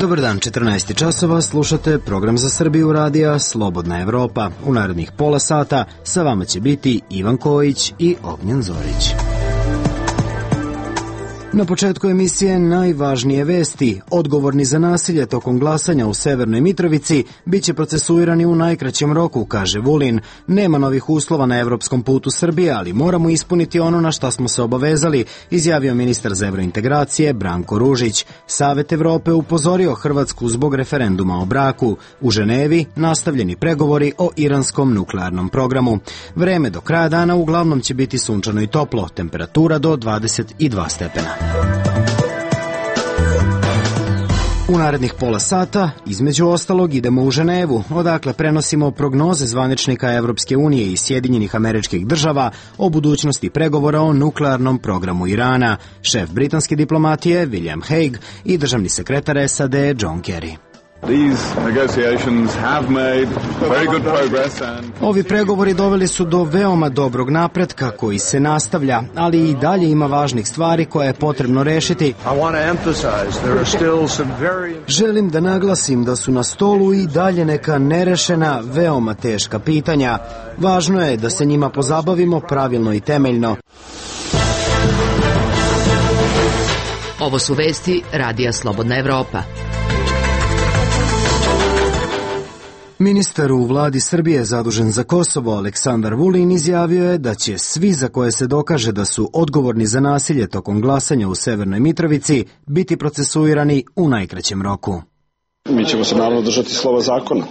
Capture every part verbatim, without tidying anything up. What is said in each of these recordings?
Dobar dan, četrnaest časova, slušate program za Srbiju radija Slobodna Evropa. U narednih pola sata sa vama će biti Ivan Kojić i Ognjen Zorić. Na početku emisije najvažnije vesti. Odgovorni za nasilje tokom glasanja u Severnoj Mitrovici biće procesuirani u najkraćem roku, kaže Vulin. Nema novih uslova na evropskom putu Srbije, ali moramo ispuniti ono na šta smo se obavezali, izjavio ministar za evrointegracije Branko Ružić. Savet Evrope upozorio Hrvatsku zbog referenduma o braku. U Ženevi nastavljeni pregovori o iranskom nuklearnom programu. Vreme do kraja dana uglavnom će biti sunčano i toplo, temperatura do dvadeset dva stepena. U narednih pola sata, između ostalog, idemo u Ženevu, odakle prenosimo prognoze zvaničnika Evropske unije i Sjedinjenih Američkih Država o budućnosti pregovora o nuklearnom programu Irana, šef britanske diplomatije William Hague i državni sekretar S A D John Kerry. Ovi pregovori doveli su do veoma dobrog napretka koji se nastavlja, ali i dalje ima važnih stvari koje je potrebno rešiti. Želim da naglasim da su na stolu i dalje neka nerešena, veoma teška pitanja. Važno je da se njima pozabavimo pravilno i temeljno. Ovo su vesti Radija Slobodna Evropa. Ministar u vladi Srbije zadužen za Kosovo Aleksandar Vulin izjavio je da će svi za koje se dokaže da su odgovorni za nasilje tokom glasanja u Severnoj Mitrovici biti procesuirani u najkraćem roku. Mi ćemo se naravno držati slova zakona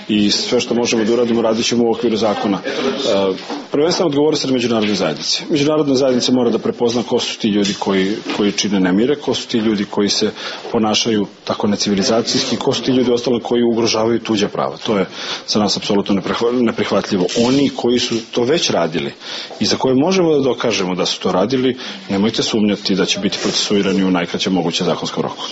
i sve što možemo da uradimo radit ćemo u okviru zakona. E, prvenstveno odgovornost je međunarodne zajednice. Međunarodna zajednica mora da prepozna ko su ti ljudi koji, koji čine nemire, ko su ti ljudi koji se ponašaju tako necivilizacijski, ko su ti ljudi ostalo koji ugrožavaju tuđa prava. To je za nas apsolutno neprihvatljivo. Oni koji su to već radili i za koje možemo da dokažemo da su to radili, nemojte sumnjati da će biti procesuirani u najkraćem moguće zakonskom roku.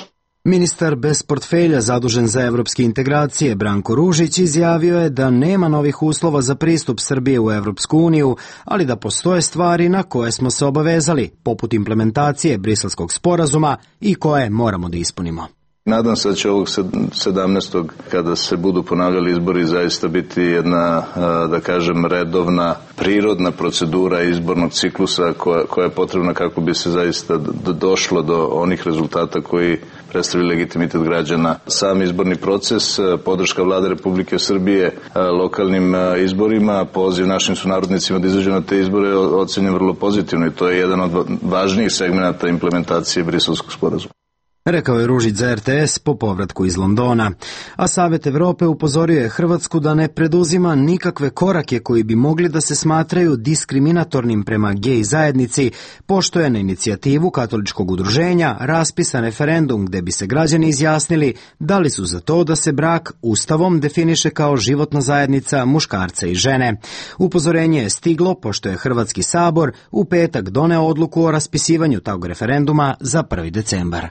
Ministar bez portfelja zadužen za evropske integracije Branko Ružić izjavio je da nema novih uslova za pristup Srbije u Evropsku uniju, ali da postoje stvari na koje smo se obavezali, poput implementacije Briselskog sporazuma i koje moramo da ispunimo. Nadam se da će ovog sedamnaestog kada se budu ponavljali izbori zaista biti jedna, da kažem, redovna, prirodna procedura izbornog ciklusa koja, koja je potrebna kako bi se zaista došlo do onih rezultata koji predstavljaju legitimitet građana. Sam izborni proces, podrška Vlade Republike Srbije lokalnim izborima, poziv našim sunarodnicima da izađu na te izbore ocenjen vrlo pozitivno i to je jedan od važnijih segmenata implementacije Briselskog sporazuma. Rekao je Ružić za R T S po povratku iz Londona. A Savet Evrope upozorio je Hrvatsku da ne preduzima nikakve korake koji bi mogli da se smatraju diskriminatornim prema gej zajednici, pošto je na inicijativu katoličkog udruženja raspisan referendum gde bi se građani izjasnili da li su za to da se brak ustavom definiše kao životna zajednica muškarca i žene. Upozorenje je stiglo pošto je Hrvatski sabor u petak doneo odluku o raspisivanju tog referenduma za prvi decembar.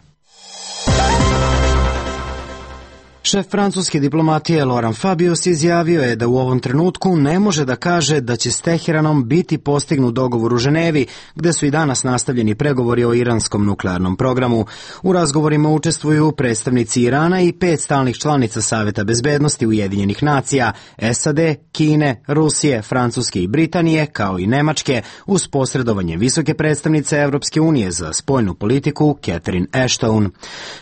Šef francuske diplomatije Laurent Fabius izjavio je da u ovom trenutku ne može da kaže da će s Teheranom biti postignut dogovor u Ženevi, gde su i danas nastavljeni pregovori o iranskom nuklearnom programu. U razgovorima učestvuju predstavnici Irana i pet stalnih članica Saveta bezbednosti Ujedinjenih nacija, S A D, Kine, Rusije, Francuske i Britanije, kao i Nemačke, uz posredovanje visoke predstavnice Evropske unije za spoljnu politiku Catherine Ashton.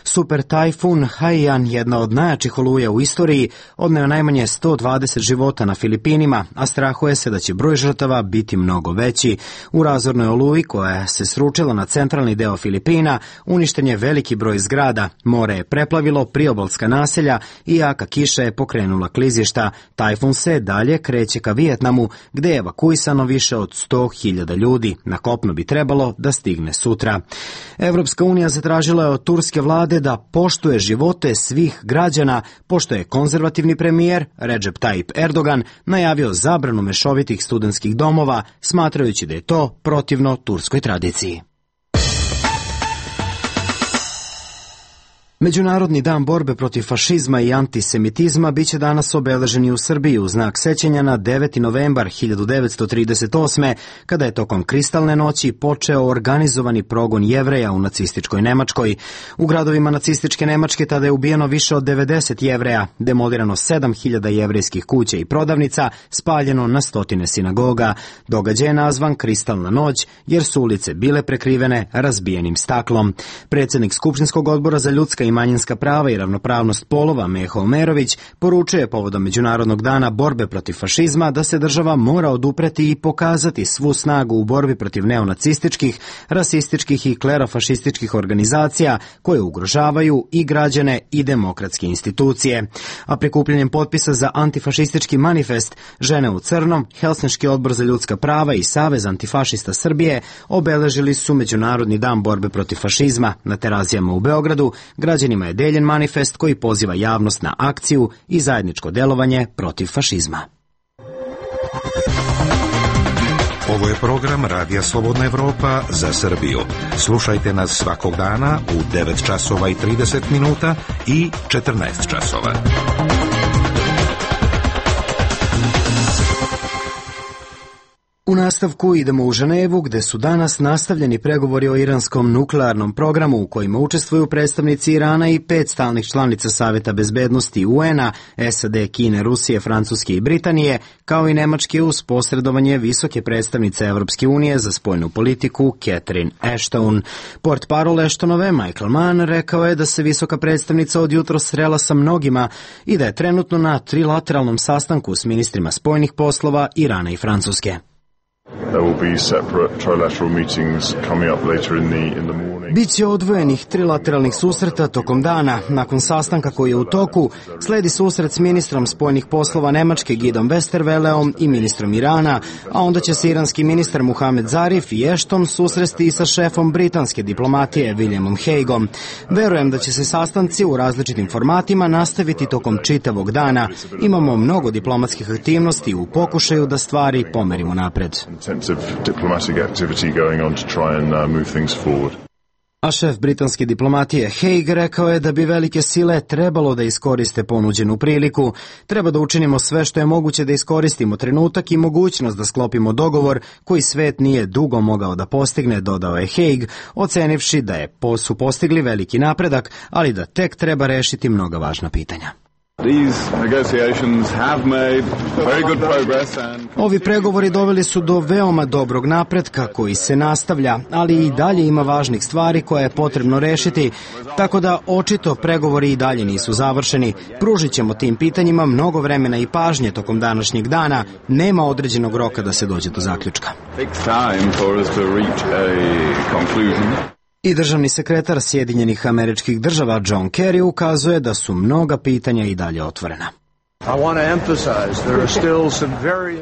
Super tajfun Haiyan, jedna od najjačih oluja u istoriji, odneo najmanje sto dvadeset života na Filipinima, a strahuje se da će broj žrtava biti mnogo veći. U razornoj oluji koja se sručila na centralni deo Filipina, uništen je veliki broj zgrada, more je preplavilo priobalska naselja i jaka kiša je pokrenula klizišta. Tajfun se dalje kreće ka Vijetnamu, gde je evakuisano više od sto hiljada ljudi. Na kopno bi trebalo da stigne sutra. Evropska unija zatražila je od turske vlade da poštuje živote svih građana, pošto je konzervativni premijer Recep Tayyip Erdogan najavio zabranu mešovitih studentskih domova, smatrajući da je to protivno turskoj tradiciji. Međunarodni dan borbe protiv fašizma i antisemitizma biće danas obeležen i u Srbiji u znak sećanja na deveti novembar hiljadu devetsto trideset osme. kada je tokom Kristalne noći počeo organizovani progon Jevreja u nacističkoj Nemačkoj. U gradovima nacističke Nemačke tada je ubijeno više od devedeset Jevreja, demolirano sedam hiljada jevrejskih kuća i prodavnica, spaljeno na stotine sinagoga. Događaj je nazvan Kristalna noć jer su ulice bile prekrivene razbijenim staklom. Predsjednik Skupštinskog odbora za ljudska i manjinska prava i ravnopravnost polova Meho Omerović poručuje povodom Međunarodnog dana borbe protiv fašizma da se država mora odupreti i pokazati svu snagu u borbi protiv neonacističkih, rasističkih i klerofašističkih organizacija koje ugrožavaju i građane i demokratske institucije. A prikupljanjem potpisa za antifašistički manifest Žene u crnom, Helsinški odbor za ljudska prava i Savez antifašista Srbije obeležili su Međunarodni dan borbe protiv fašizma. Na Terazijama u Beogradu građanima je deljen manifest koji poziva javnost na akciju i zajedničko delovanje protiv fašizma. Ovo je program Radija Slobodna Evropa za Srbiju. Slušajte nas svakog dana u devet časova i trideset minuta i četrnaest časova. U nastavku idemo u Ženevu, gde su danas nastavljeni pregovori o iranskom nuklearnom programu u kojima učestvuju predstavnici Irana i pet stalnih članica Saveta bezbednosti U N-a, S A D, Kine, Rusije, Francuske i Britanije, kao i Nemačke uz posredovanje visoke predstavnice Evropske unije za spoljnu politiku Catherine Ashton. Portparol Ashtonove, Michael Mann, rekao je da se visoka predstavnica od jutros srela sa mnogima i da je trenutno na trilateralnom sastanku s ministrima spoljnih poslova Irana i Francuske. Biće odvojenih trilateralnih susreta tokom dana. Nakon sastanka koji je u toku, sledi susret s ministrom spoljnih poslova Nemačke Gidom Westerweleom i ministrom Irana, a onda će se iranski ministar Muhamed Zarif i Ashton susresti i sa šefom britanske diplomatije Williamom Hagueom. Verujem da će se sastanci u različitim formatima nastaviti tokom čitavog dana. Imamo mnogo diplomatskih aktivnosti u pokušaju da stvari pomerimo napred. A šef britanske diplomatije Hague rekao je da bi velike sile trebalo da iskoriste ponuđenu priliku. Treba da učinimo sve što je moguće da iskoristimo trenutak i mogućnost da sklopimo dogovor koji svet nije dugo mogao da postigne, dodao je Hague, ocenivši da je su postigli veliki napredak, ali da tek treba rešiti mnoga važna pitanja. Ovi pregovori doveli su do veoma dobrog napretka koji se nastavlja, ali i dalje ima važnih stvari koje je potrebno rešiti, tako da očito pregovori i dalje nisu završeni. Pružit ćemo tim pitanjima mnogo vremena i pažnje tokom današnjeg dana, nema određenog roka da se dođe do zaključka. I državni sekretar Sjedinjenih Američkih Država John Kerry ukazuje da su mnoga pitanja i dalje otvorena.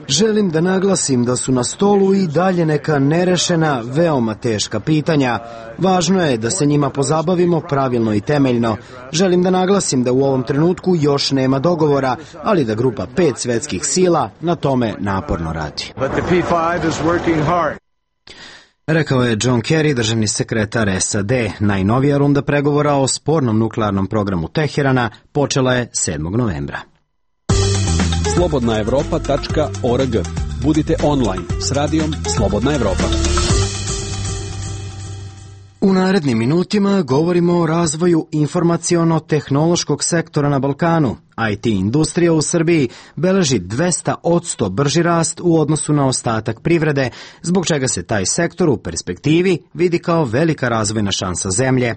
Želim da naglasim da su na stolu i dalje neka nerešena, veoma teška pitanja. Važno je da se njima pozabavimo pravilno i temeljno. Želim da naglasim da u ovom trenutku još nema dogovora, ali da grupa pet svetskih sila na tome naporno radi. Rekao je John Kerry, državni sekretar S A D. Najnovija runda pregovora o spornom nuklearnom programu Teherana počela je sedmog novembra. slobodna evropa tačka org. Budite online s radijom Slobodna Evropa. U narednim minutima govorimo o razvoju informaciono-tehnološkog sektora na Balkanu. I T industrija u Srbiji beleži dvesta posto brži rast u odnosu na ostatak privrede, zbog čega se taj sektor u perspektivi vidi kao velika razvojna šansa zemlje.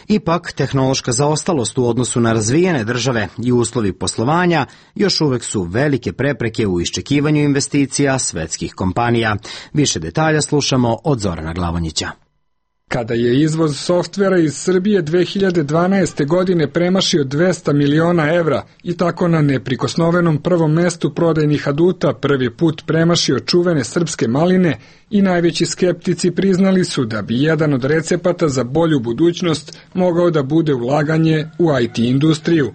Ipak, tehnološka zaostalost u odnosu na razvijene države i uslovi poslovanja još uvek su velike prepreke u iščekivanju investicija svetskih kompanija. Više detalja slušamo od Zorana Glavonjića. Kada je izvoz softvera iz Srbije dve hiljade dvanaeste. godine premašio dvesta miliona evra i tako na neprikosnovenom prvom mestu prodajnih aduta prvi put premašio čuvene srpske maline i najveći skeptici priznali su da bi jedan od recepata za bolju budućnost mogao da bude ulaganje u I T industriju.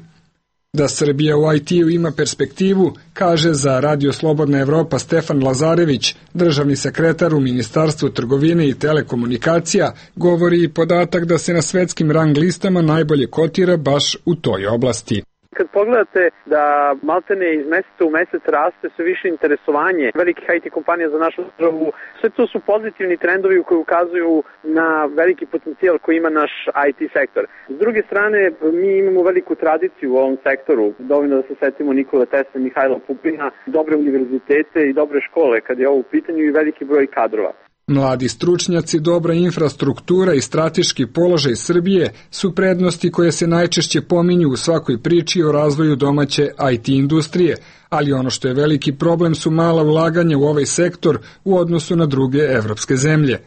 Da Srbija u I T-u ima perspektivu, kaže za Radio Slobodna Evropa Stefan Lazarević, državni sekretar u Ministarstvu trgovine i telekomunikacija, govori i podatak da se na svetskim rang listama najbolje kotira baš u toj oblasti. Kad pogledate da maltene iz meseca u mesec raste sve više interesovanje velikih I T kompanija za našu državu, sve to su pozitivni trendovi koji ukazuju na veliki potencijal koji ima naš I T sektor. S druge strane, mi imamo veliku tradiciju u ovom sektoru, dovoljno da se setimo Nikole Tesle, Mihajla Pupina, dobre univerzitete i dobre škole kad je ovo u pitanju i veliki broj kadrova. Mladi stručnjaci, dobra infrastruktura i strateški položaj Srbije su prednosti koje se najčešće pominju u svakoj priči o razvoju domaće I T industrije, ali ono što je veliki problem su mala ulaganja u ovaj sektor u odnosu na druge evropske zemlje.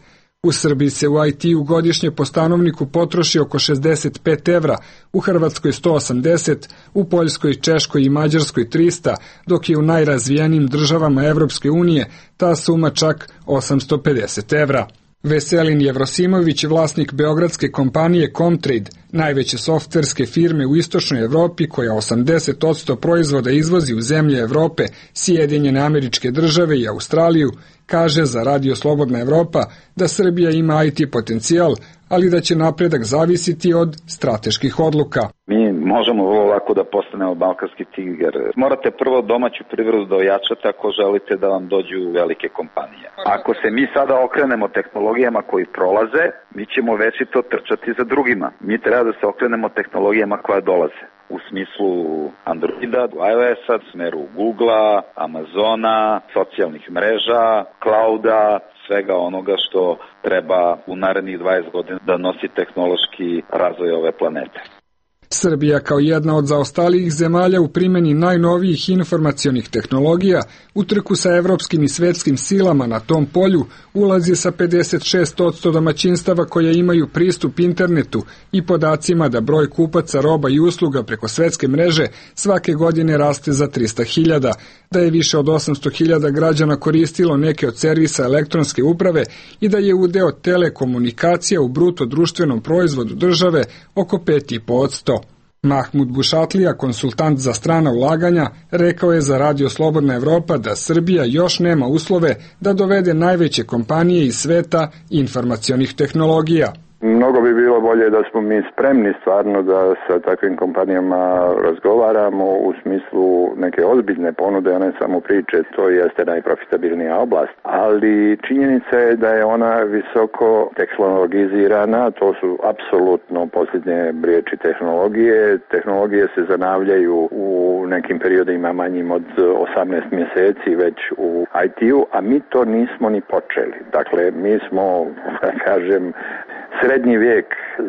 U Srbiji se u I T-u godišnje po stanovniku potroši oko šezdeset pet evra, u Hrvatskoj sto osamdeset, u Poljskoj, Češkoj i Mađarskoj trista, dok je u najrazvijenijim državama Evropske unije ta suma čak osamsto pedeset evra. Veselin Jevrosimović, vlasnik beogradske kompanije Comtrade, najveće softverske firme u istočnoj Evropi koja osamdeset posto proizvoda izvozi u zemlje Evrope, Sjedinjene Američke Države i Australiju, kaže za Radio Slobodna Evropa da Srbija ima I T potencijal, ali da će napredak zavisiti od strateških odluka. Mi možemo vrlo lako da postanemo balkanski tigar. Morate prvo domaću privredu da ojačate ako želite da vam dođu velike kompanije. Ako se mi sada okrenemo tehnologijama koji prolaze, mi ćemo večito trčati za drugima. Mi treba da se okrenemo tehnologijama koje dolaze. U smislu Androida, iOS-a, u smeru Googlea, Amazona, socijalnih mreža, clouda, svega onoga što treba u narednih dvadeset godina da nosi tehnološki razvoj ove planete. Srbija kao jedna od zaostalijih zemalja u primjeni najnovijih informacionih tehnologija u trku sa evropskim i svetskim silama na tom polju ulazi sa pedeset šest posto domaćinstava koje imaju pristup internetu i podacima da broj kupaca roba i usluga preko svetske mreže svake godine raste za trista hiljada, da je više od osamsto hiljada građana koristilo neke od servisa elektronske uprave i da je udeo telekomunikacija u bruto društvenom proizvodu države oko pet zarez pet posto. Mahmud Bušatlija, konsultant za strana ulaganja, rekao je za Radio Slobodna Evropa da Srbija još nema uslove da dovede najveće kompanije iz sveta informacionih tehnologija. Mnogo bi bilo bolje da smo mi spremni stvarno da sa takvim kompanijama razgovaramo u smislu neke ozbiljne ponude, a ne samo priče. To jeste najprofitabilnija oblast, ali činjenica je da je ona visoko tehnologizirana, to su apsolutno posljednje riječi tehnologije. Tehnologije se zanavljaju u nekim periodima manjim od osamnaest mjeseci već u I T-u, a mi to nismo ni počeli. Dakle, mi smo, da kažem, srednji vijek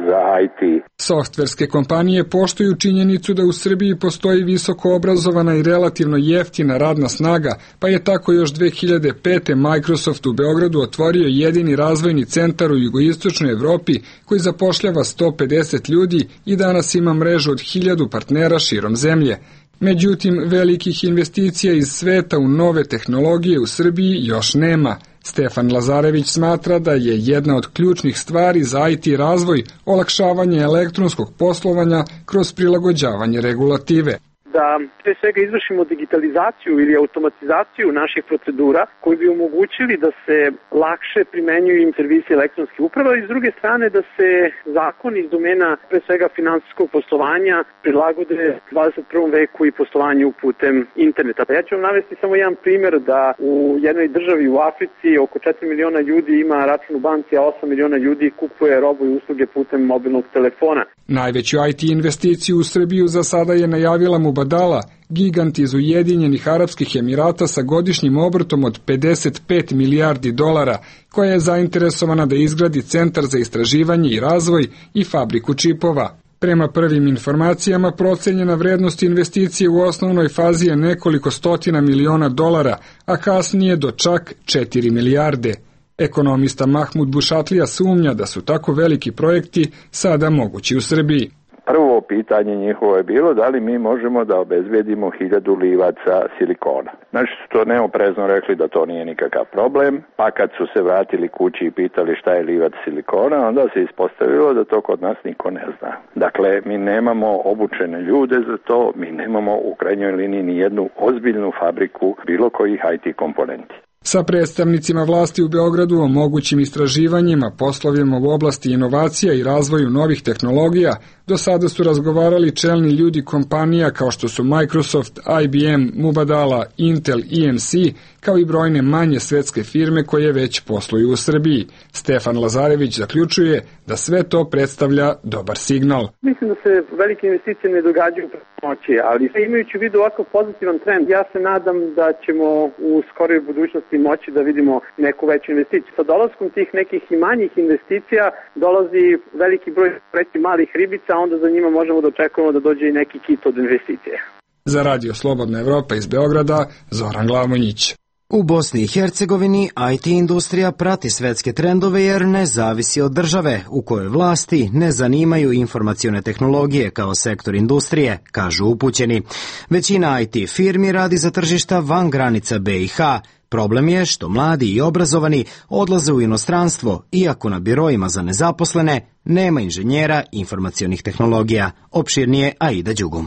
za I T. Softverske kompanije poštuju činjenicu da u Srbiji postoji visoko obrazovana i relativno jeftina radna snaga, pa je tako još dve hiljade pete. Microsoft u Beogradu otvorio jedini razvojni centar u jugoistočnoj Evropi koji zapošljava sto pedeset ljudi i danas ima mrežu od hiljadu partnera širom zemlje. Međutim, velikih investicija iz sveta u nove tehnologije u Srbiji još nema. Stefan Lazarević smatra da je jedna od ključnih stvari za I T razvoj olakšavanje elektronskog poslovanja kroz prilagođavanje regulative. Da pre svega izvršimo digitalizaciju ili automatizaciju naših procedura koji bi omogućili da se lakše primenjuju im servisi elektronske uprave i s druge strane da se zakoni iz domena pre svega finansijskog poslovanja prilagode dvadeset prvom veku i poslovanju putem interneta. Ja ću vam navesti samo jedan primjer da u jednoj državi u Africi oko četiri miliona ljudi ima račun u banci, a osam miliona ljudi kupuje robu i usluge putem mobilnog telefona. Najveću I T investiciju u Srbiju za sada je najavila Mubadala, gigant iz Ujedinjenih Arapskih Emirata sa godišnjim obrtom od pedeset pet milijardi dolara, koja je zainteresovana da izgradi centar za istraživanje i razvoj i fabriku čipova. Prema prvim informacijama, procenjena vrednost investicije u osnovnoj fazi je nekoliko stotina miliona dolara, a kasnije do čak četiri milijarde. Ekonomista Mahmud Bušatlija sumnja da su tako veliki projekti sada mogući u Srbiji. Prvo pitanje njihovo je bilo da li mi možemo da obezbedimo hiljadu livaca silikona. Znači su to neoprezno rekli da to nije nikakav problem, pa kad su se vratili kući i pitali šta je livac silikona, onda se ispostavilo da to kod nas niko ne zna. Dakle, mi nemamo obučene ljude za to, mi nemamo u krajnjoj liniji ni jednu ozbiljnu fabriku bilo kojih I T komponenti. Sa predstavnicima vlasti u Beogradu o mogućim istraživanjima, poslovima u oblasti inovacija i razvoju novih tehnologija, do sada su razgovarali čelni ljudi kompanija kao što su Microsoft, I B M, Mubadala, Intel, E M C, kao i brojne manje svetske firme koje već posluju u Srbiji. Stefan Lazarević zaključuje da sve to predstavlja dobar signal. Mislim da se velike investicije ne događaju preko noći, ali imajući u vidu ovako pozitivan trend, ja se nadam da ćemo u skoroj budućnosti moći da vidimo neku veću investiciju. Sa dolaskom tih nekih i manjih investicija dolazi veliki broj preti malih ribica, a onda za njima možemo da očekujemo da dođe i neki kit od investicije. Za Radio Slobodna Evropa iz Beograda, Zoran Glamonjić. U Bosni i Hercegovini I T industrija prati svetske trendove jer ne zavisi od države, u kojoj vlasti ne zanimaju informacione tehnologije kao sektor industrije, kažu upućeni. Većina I T firmi radi za tržišta van granica B i H. Problem je što mladi i obrazovani odlaze u inostranstvo, iako na birojima za nezaposlene nema inženjera informacionih tehnologija. Opširnije Aida Đugum.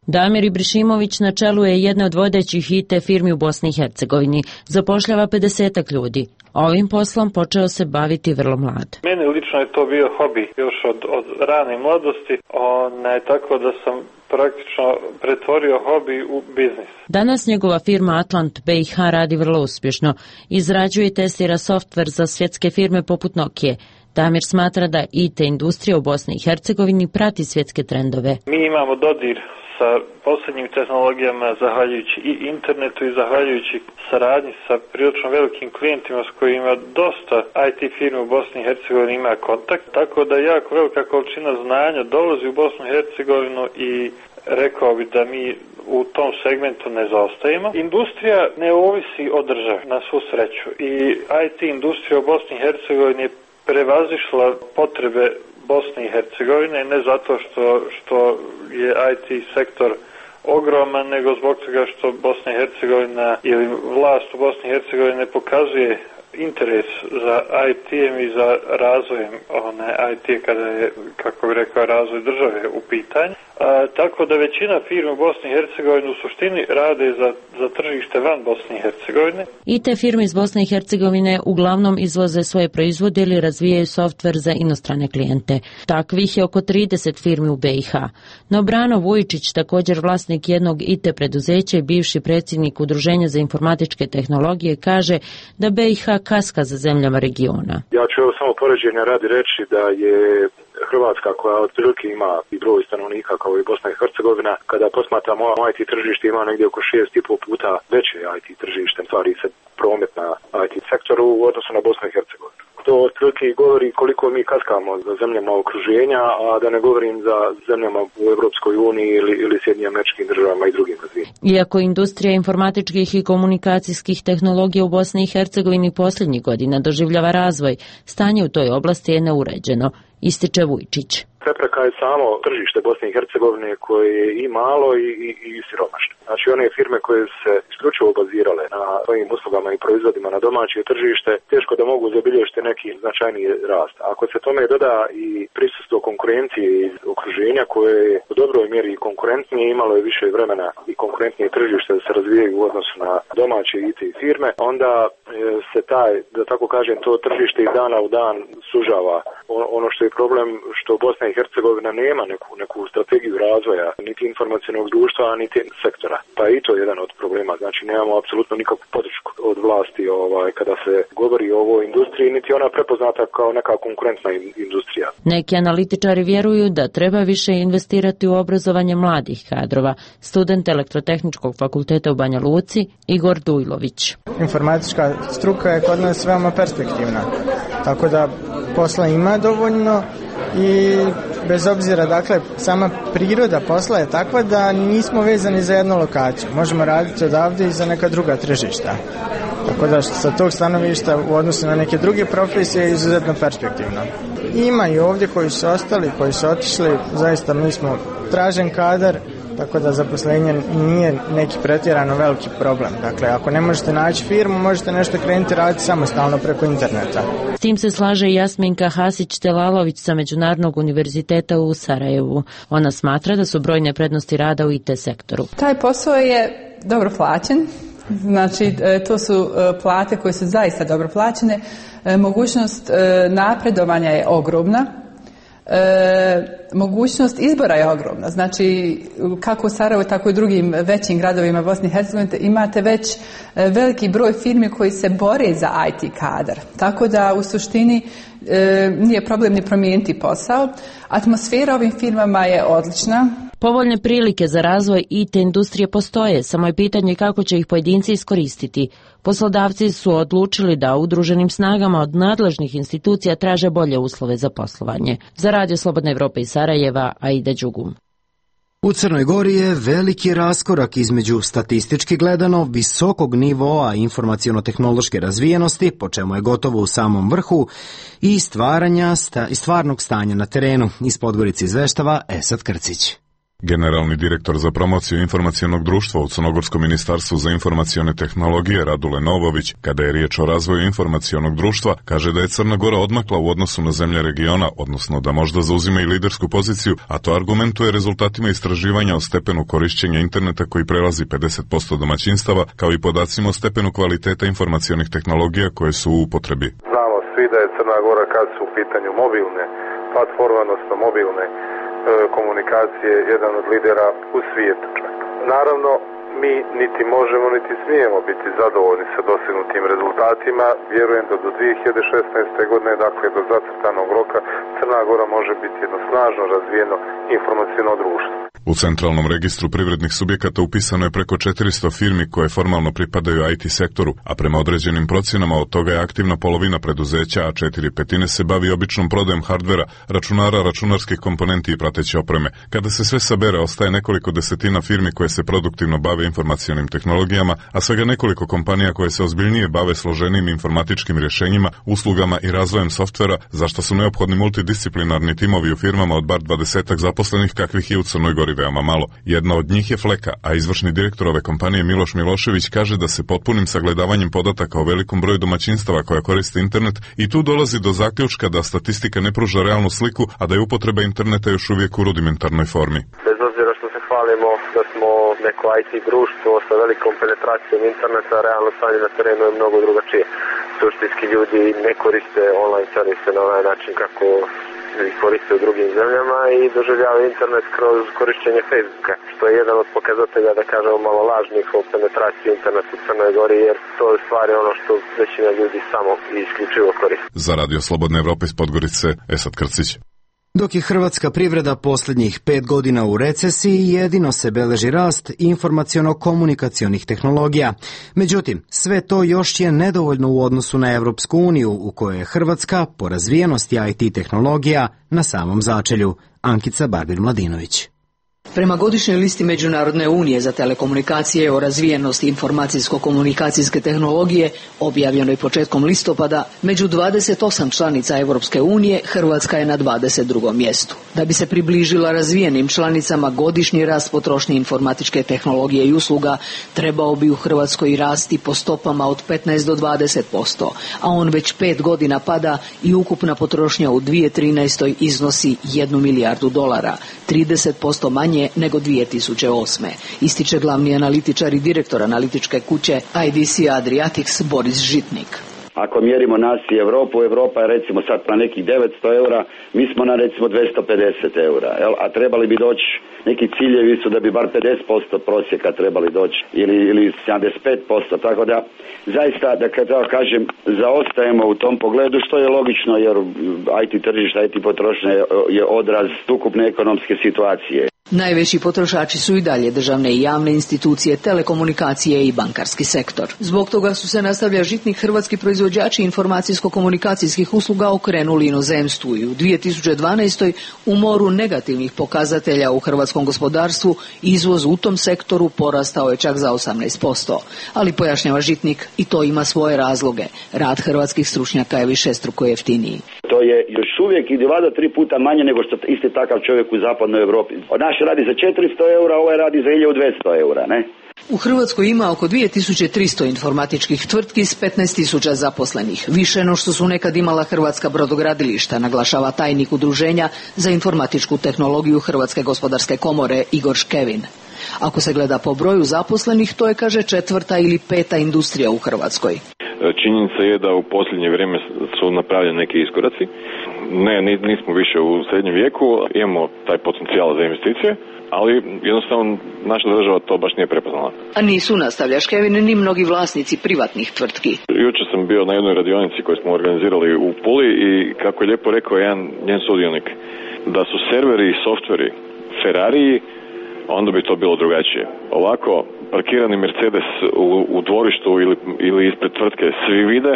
Damir Ibrišimović na čelu je jedne od vodećih I T firmi u Bosni i Hercegovini. Zapošljava pedesetak ljudi. Ovim poslom počeo se baviti vrlo mlad. Meni lično je to bio hobi još od, od rane mladosti, ne, tako da sam praktično pretvorio hobi u biznis. Danas njegova firma Atlant B i H radi vrlo uspješno. Izrađuje i testira softver za svjetske firme poput Nokije. Damir smatra da I T industrija u Bosni i Hercegovini prati svjetske trendove. Mi imamo dodir sa posljednjim tehnologijama zahvaljujući i internetu i zahvaljujući saradnji sa prilično velikim klijentima s kojima dosta I T firme u Bosni i Hercegovini ima kontakt, tako da jako velika količina znanja dolazi u Bosnu i Hercegovinu i rekao bi da mi u tom segmentu ne zaostajemo. Industrija ne ovisi od države, na svu sreću, i I T industrija u Bosni i Hercegovini je prevazišla potrebe Bosne i Hercegovine, ne zato što, što je I T sektor ogroman, nego zbog toga što Bosna i Hercegovina ili vlast u Bosni i Hercegovini ne pokazuje interes za I T-em i za razvojem one I T kada je, kako bi rekao, razvoj države u pitanju. A, tako da većina firme u Bosni i Hercegovini u suštini rade za, za tržište van Bosne i Hercegovine. I te firme iz Bosne i Hercegovine uglavnom izvoze svoje proizvode ili razvijaju softver za inostrane klijente. Takvih je oko trideset firmi u B i H. No Brano Vujičić, također vlasnik jednog I T preduzeća i bivši predsjednik Udruženja za informatičke tehnologije, kaže da B i H kaska za zemljama regiona. Ja ću evo samo poređenja radi reći da je Hrvatska, koja otprilike ima i broj stanovnika kao i Bosna i Hercegovina, kada posmatramo I T tržište, ima negdje oko šest i pol puta veće I T tržište, stvari se promet na I T sektoru u odnosu na Bosnu i Hercegovinu. To otprilike govori koliko mi kaskamo za zemljama okruženja, a da ne govorim za zemljama u Europskoj uniji ili, ili Sjedinjenim Američkim Državama i drugim razvijenim. Iako industrija informatičkih i komunikacijskih tehnologija u Bosni i Hercegovini posljednjih godina doživljava razvoj, stanje u toj oblasti je neuređeno, ističe Vujčić. Prepreka je samo tržište Bosne i Hercegovine koje je i malo i, i, i siromašno. Znači one firme koje su se isključivo bazirale na svojim uslugama i proizvodima na domaće tržište, teško da mogu zabilježiti neki značajniji rast. Ako se tome doda i prisustvo konkurencije iz okruženja koje je u dobroj mjeri konkurentnije, imalo je više vremena i konkurentnije tržište da se razvijaju u odnosu na domaće I T firme, onda se taj, da tako kažem, to tržište iz dana u dan sužava. Ono što je problem, što Bosna i Hercegovina nema neku, neku strategiju razvoja, niti informacionog društva, niti sektora. Pa je i to jedan od problema. Znači, nemamo apsolutno nikakvu podršku od vlasti ovaj, kada se govori o ovoj industriji, niti ona prepoznata kao neka konkurentna industrija. Neki analitičari vjeruju da treba više investirati u obrazovanje mladih kadrova. Student Elektrotehničkog fakulteta u Banja Luci, Igor Dujlović. Informatička struka je kod nas veoma perspektivna, tako da posla ima dovoljno i bez obzira, dakle, sama priroda posla je takva da nismo vezani za jednu lokaciju. Možemo raditi odavde i za neka druga tržišta. Tako da sa tog stanovišta u odnosu na neke druge profesije je izuzetno perspektivno. Ima i ovdje koji su ostali, koji su otišli, zaista mi smo tražen kadar, tako da zaposlenje nije neki pretjerano veliki problem. Dakle, ako ne možete naći firmu, možete nešto krenuti raditi samostalno preko interneta. S tim se slaže i Jasminka Hasić-Telalović sa Međunarodnog univerziteta u Sarajevu. Ona smatra da su brojne prednosti rada u I T sektoru. Taj posao je dobro plaćen. Znači, to su plate koje su zaista dobro plaćene. Mogućnost napredovanja je ogromna. E, mogućnost izbora je ogromna. Znači, kako u Sarajevu, tako i u drugim većim gradovima Bosne i Hercegovine imate već veliki broj firmi koji se bore za I T kadar. Tako da u suštini e, nije problem ni promijeniti posao. Atmosfera ovim firmama je odlična. Povoljne prilike za razvoj I T industrije postoje, samo je pitanje kako će ih pojedinci iskoristiti. Poslodavci su odlučili da udruženim snagama od nadležnih institucija traže bolje uslove za poslovanje. Za Radio Slobodna Evropa iz Sarajeva, Aida Đugum. U Crnoj Gori je veliki raskorak između statistički gledano visokog nivoa informaciono-tehnološke razvijenosti, po čemu je gotovo u samom vrhu, i stvaranja sta, i stvarnog stanja na terenu. Iz Podgorice izveštava Esad Krcić. Generalni direktor za promociju informacionog društva u Crnogorskom ministarstvu za informacione tehnologije Radule Novović, kada je riječ o razvoju informacionog društva, kaže da je Crna Gora odmakla u odnosu na zemlje regiona, odnosno da možda zauzima i lidersku poziciju, a to argumentuje rezultatima istraživanja o stepenu korišćenja interneta koji prelazi pedeset posto domaćinstava, kao i podacima o stepenu kvaliteta informacionih tehnologija koje su u upotrebi. Znamo svi da je Crna Gora, kad su u pitanju mobilne platforme, odnosno mobilne komunikacije, jedan od lidera u svijetu čak. Naravno, mi niti možemo, niti smijemo biti zadovoljni sa dosegnutim rezultatima. Vjerujem da do dvije hiljade šesnaeste. godine, dakle do zacrtanog roka, Crna Gora može biti jedno snažno razvijeno informaciono društvo. U centralnom registru privrednih subjekata upisano je preko četiristo firmi koje formalno pripadaju I T sektoru, a prema određenim procjenama od toga je aktivna polovina preduzeća, a četiri petine se bavi običnom prodajom hardvera, računara, računarskih komponenti i prateće opreme. Kada se sve sabere, ostaje nekoliko desetina firmi koje se produktivno bave informacionim tehnologijama, a svega nekoliko kompanija koje se ozbiljnije bave složenim informatičkim rješenjima, uslugama i razvojem softvera, za što su neophodni multidisciplinarni timovi u firmama od bar dvadesetak zaposlenih kakvih je u Crnoj Gori veoma malo. Jedna od njih je Fleka, a izvršni direktor ove kompanije Miloš Milošević kaže da se potpunim sagledavanjem podataka o velikom broju domaćinstava koja koriste internet i tu dolazi do zaključka da statistika ne pruža realnu sliku, a da je upotreba interneta još uvijek u rudimentarnoj formi. Bez obzira što se hvalimo da smo neko I T društvo sa velikom penetracijom interneta, realno stanje na terenu je mnogo drugačije. Suštinski ljudi ne koriste online servise na onaj način kako ih koriste u drugim zemljama i doživljavaju internet kroz korišćenje Facebooka, što je jedan od pokazatelja, da kažemo, malo lažnih o penetraciji interneta u Crnoj Gori, jer to je stvari ono što većina ljudi samo i isključivo koriste. Za Radio Slobodne Evrope iz Podgorice, Esad Krcić. Dok je hrvatska privreda posljednjih pet godina u recesiji, jedino se beleži rast informaciono-komunikacionih tehnologija. Međutim, sve to još je nedovoljno u odnosu na Evropsku uniju, u kojoj je Hrvatska po razvijenosti I T tehnologija na samom začelju. Ankica Barbir-Mladinović. Prema godišnjoj listi Međunarodne unije za telekomunikacije o razvijenosti informacijsko-komunikacijske tehnologije, objavljenoj početkom listopada, među dvadeset osam članica Europske unije, Hrvatska je na dvadeset drugom mjestu. Da bi se približila razvijenim članicama, godišnji rast potrošnje informatičke tehnologije i usluga trebao bi u Hrvatskoj rasti po stopama od petnaest do dvadeset posto, a on već pet godina pada i ukupna potrošnja u dvije tisuće trinaestoj. iznosi jednu milijardu dolara, trideset posto manje nego dvije tisuće osme. Ističe glavni analitičar i direktor analitičke kuće I D C Adriatics Boris Žitnik. Ako mjerimo nas i Europu, Europa je recimo sad na nekih devetsto eura, mi smo na recimo dvjesto pedeset eura, jel? A trebali bi doći, neki ciljevi su da bi bar pedeset posto prosjeka trebali doći ili, ili sedamdeset pet posto, tako da zaista, da kad tako kažem, zaostajemo u tom pogledu, što je logično jer I T tržište, I T potrošnja je odraz ukupne ekonomske situacije. Najveći potrošači su i dalje državne i javne institucije, telekomunikacije i bankarski sektor. Zbog toga su se, nastavlja Žitnik, hrvatski proizvođači informacijsko-komunikacijskih usluga okrenuli inozemstvu i u dvije tisuće dvanaestoj u moru negativnih pokazatelja u hrvatskom gospodarstvu izvoz u tom sektoru porastao je čak za osamnaest posto. Ali, pojašnjava Žitnik, i to ima svoje razloge. Rad hrvatskih stručnjaka je višestruko jeftiniji. To je još uvijek i dva do tri puta manje nego što isti takav čovjek u zapadnoj Europi. Naš radi za četiristo eura, ovaj radi za hiljadu dvjesto eura, ne? U Hrvatskoj ima oko dvije tisuće tristo informatičkih tvrtki s petnaest tisuća zaposlenih, više no što su nekad imala hrvatska brodogradilišta, naglašava tajnik Udruženja za informatičku tehnologiju Hrvatske gospodarske komore Igor Škevin. Ako se gleda po broju zaposlenih, to je, kaže, četvrta ili peta industrija u Hrvatskoj. Činjenica je da u posljednje vrijeme su napravljeni neki iskoraci. Ne, nismo više u srednjem vijeku, imamo taj potencijal za investicije, ali jednostavno naša država to baš nije prepoznala. A nisu, nastavlja Škevin, ni mnogi vlasnici privatnih tvrtki. Jučer sam bio na jednoj radionici koju smo organizirali u Puli i kako je lijepo rekao jedan njen sudionik, da su serveri i softveri Ferrariji, onda bi to bilo drugačije. Ovako, parkirani Mercedes u, u dvorištu ili, ili ispred tvrtke svi vide,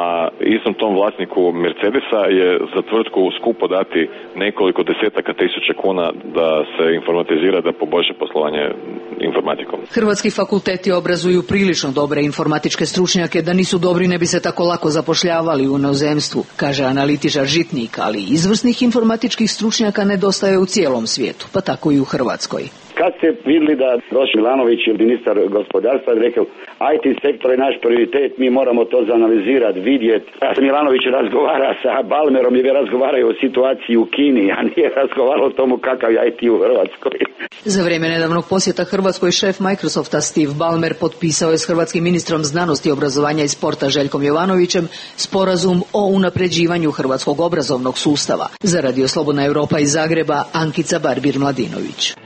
a istom tom vlasniku Mercedesa je za tvrtku skupo dati nekoliko desetaka tisuća kuna da se informatizira, da poboljša poslovanje informatikom. Hrvatski fakulteti obrazuju prilično dobre informatičke stručnjake, da nisu dobri ne bi se tako lako zapošljavali u inozemstvu, kaže analitičar Žitnik, ali izvrsnih informatičkih stručnjaka nedostaje u cijelom svijetu, pa tako i u Hrvatskoj. Kad ste vidjeli da došli Milanović ili ministar gospodarstva i rekao I T sektor je naš prioritet, mi moramo to zanalizirati, vidjeti. Ja sam Milanović razgovara sa Balmerom i razgovaraju o situaciji u Kini, a nije razgovarao o tomu kakav je I T u Hrvatskoj. Za vrijeme nedavnog posjeta Hrvatskoj šef Microsofta Steve Ballmer potpisao je s hrvatskim ministrom znanosti, obrazovanja i sporta Željkom Jovanovićem sporazum o unapređivanju hrvatskog obrazovnog sustava. Za Radio Slobodna Europa iz Zagreba, Ankica Barbir-Mladinović.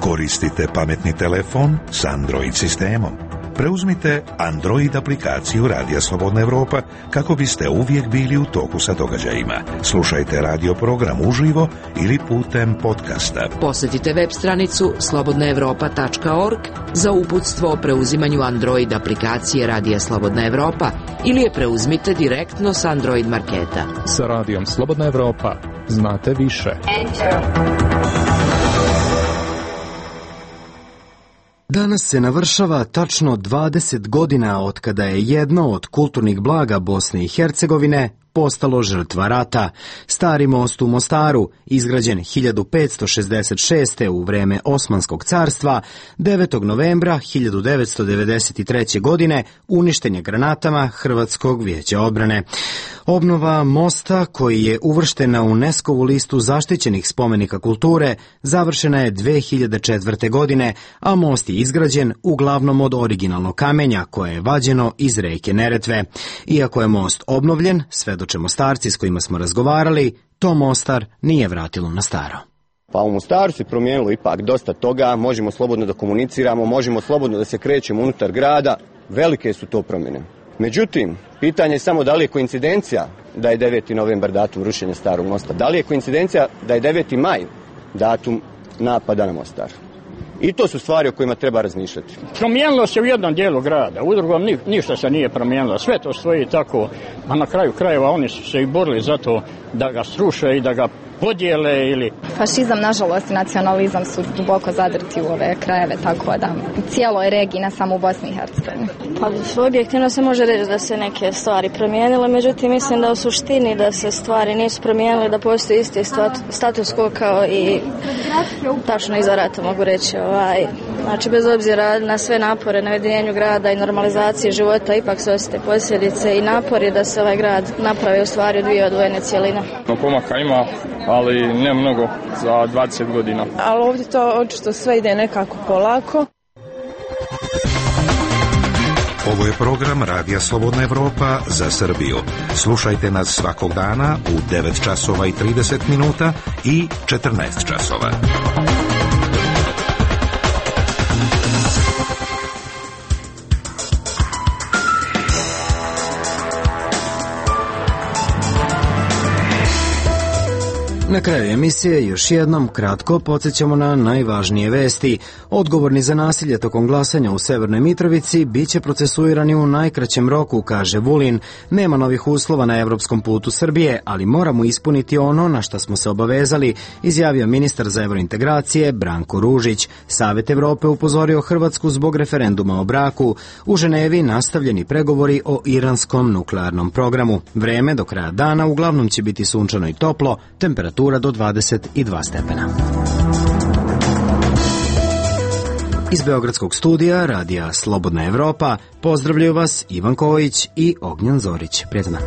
Koristite pametni telefon s Android sistemom. Preuzmite Android aplikaciju Radija Slobodna Evropa kako biste uvijek bili u toku sa događajima. Slušajte radio program uživo ili putem podcasta. Posjetite web stranicu slobodna evropa tačka org za uputstvo o preuzimanju Android aplikacije Radija Slobodna Evropa ili je preuzmite direktno s Android marketa. Sa Radijom Slobodna Evropa znate više. Danas se navršava tačno dvadeset godina od kada je jedno od kulturnih blaga Bosne i Hercegovine postalo žrtva rata. Stari most u Mostaru, izgrađen hiljadu petsto šezdeset šeste. u vreme Osmanskog carstva, devetog novembra hiljadu devetsto devedeset treće. godine uništen je granatama Hrvatskog vijeća odbrane. Obnova mosta, koji je uvrštena u UNESCO-vu listu zaštićenih spomenika kulture, završena je dve hiljade četvrte. godine, a most je izgrađen uglavnom od originalnog kamenja koje je vađeno iz reke Neretve. Iako je most obnovljen, svedoče Mostarci s kojima smo razgovarali, to Mostar nije vratilo na staro. Pa u Mostaru se promijenilo ipak dosta toga, možemo slobodno da komuniciramo, možemo slobodno da se krećemo unutar grada, velike su to promjene. Međutim, pitanje je samo da li je koincidencija da je deveti novembar datum rušenja starog mosta, da li je koincidencija da je deveti maj datum napada na Mostar. I to su stvari o kojima treba razmišljati. Promijenilo se u jednom dijelu grada, u drugom ni, ništa se nije promijenilo, sve to stoji tako, a na kraju krajeva oni su se i borili za to da ga sruše i da ga podijele ili... Fašizam, nažalost, i nacionalizam su duboko zadrti u ove krajeve, tako da u cijeloj regiji, ne samo u Bosni i Hercegovini. Pa objektivno se može reći da se neke stvari promijenile, međutim mislim da u suštini da se stvari nisu promijenile, da postoji isti status quo kao i tačno iza rata, mogu reći. Ovaj, znači bez obzira na sve napore na ujedinjenju grada i normalizaciji života, ipak se osjete posljedice i napori da se ovaj grad napravi u stvari dvije odvojene cijeline. No, pomaka ima, ali ne mnogo za dvadeset godina. Ali ovdje to očito sve ide nekako polako. Ovo je program Radija Slobodna Evropa za Srbiju. Slušajte nas svakog dana u devet časova i trideset minuta i četrnaest časova. Na kraju emisije još jednom kratko podsjećamo na najvažnije vesti. Odgovorni za nasilje tokom glasanja u Severnoj Mitrovici biće procesuirani u najkraćem roku, kaže Vulin. Nema novih uslova na evropskom putu Srbije, ali moramo ispuniti ono na što smo se obavezali, izjavio ministar za evrointegracije Branko Ružić. Savet Evrope upozorio Hrvatsku zbog referenduma o braku. U Ženevi nastavljeni pregovori o iranskom nuklearnom programu. Vreme do kraja dana uglavnom će biti sunčano i toplo, temperatura do dvadeset dva stepena. Iz Beogradskog studija radija Slobodna Evropa pozdravljaju vas Ivan Kojić i Ognjan Zorić. Prijatno.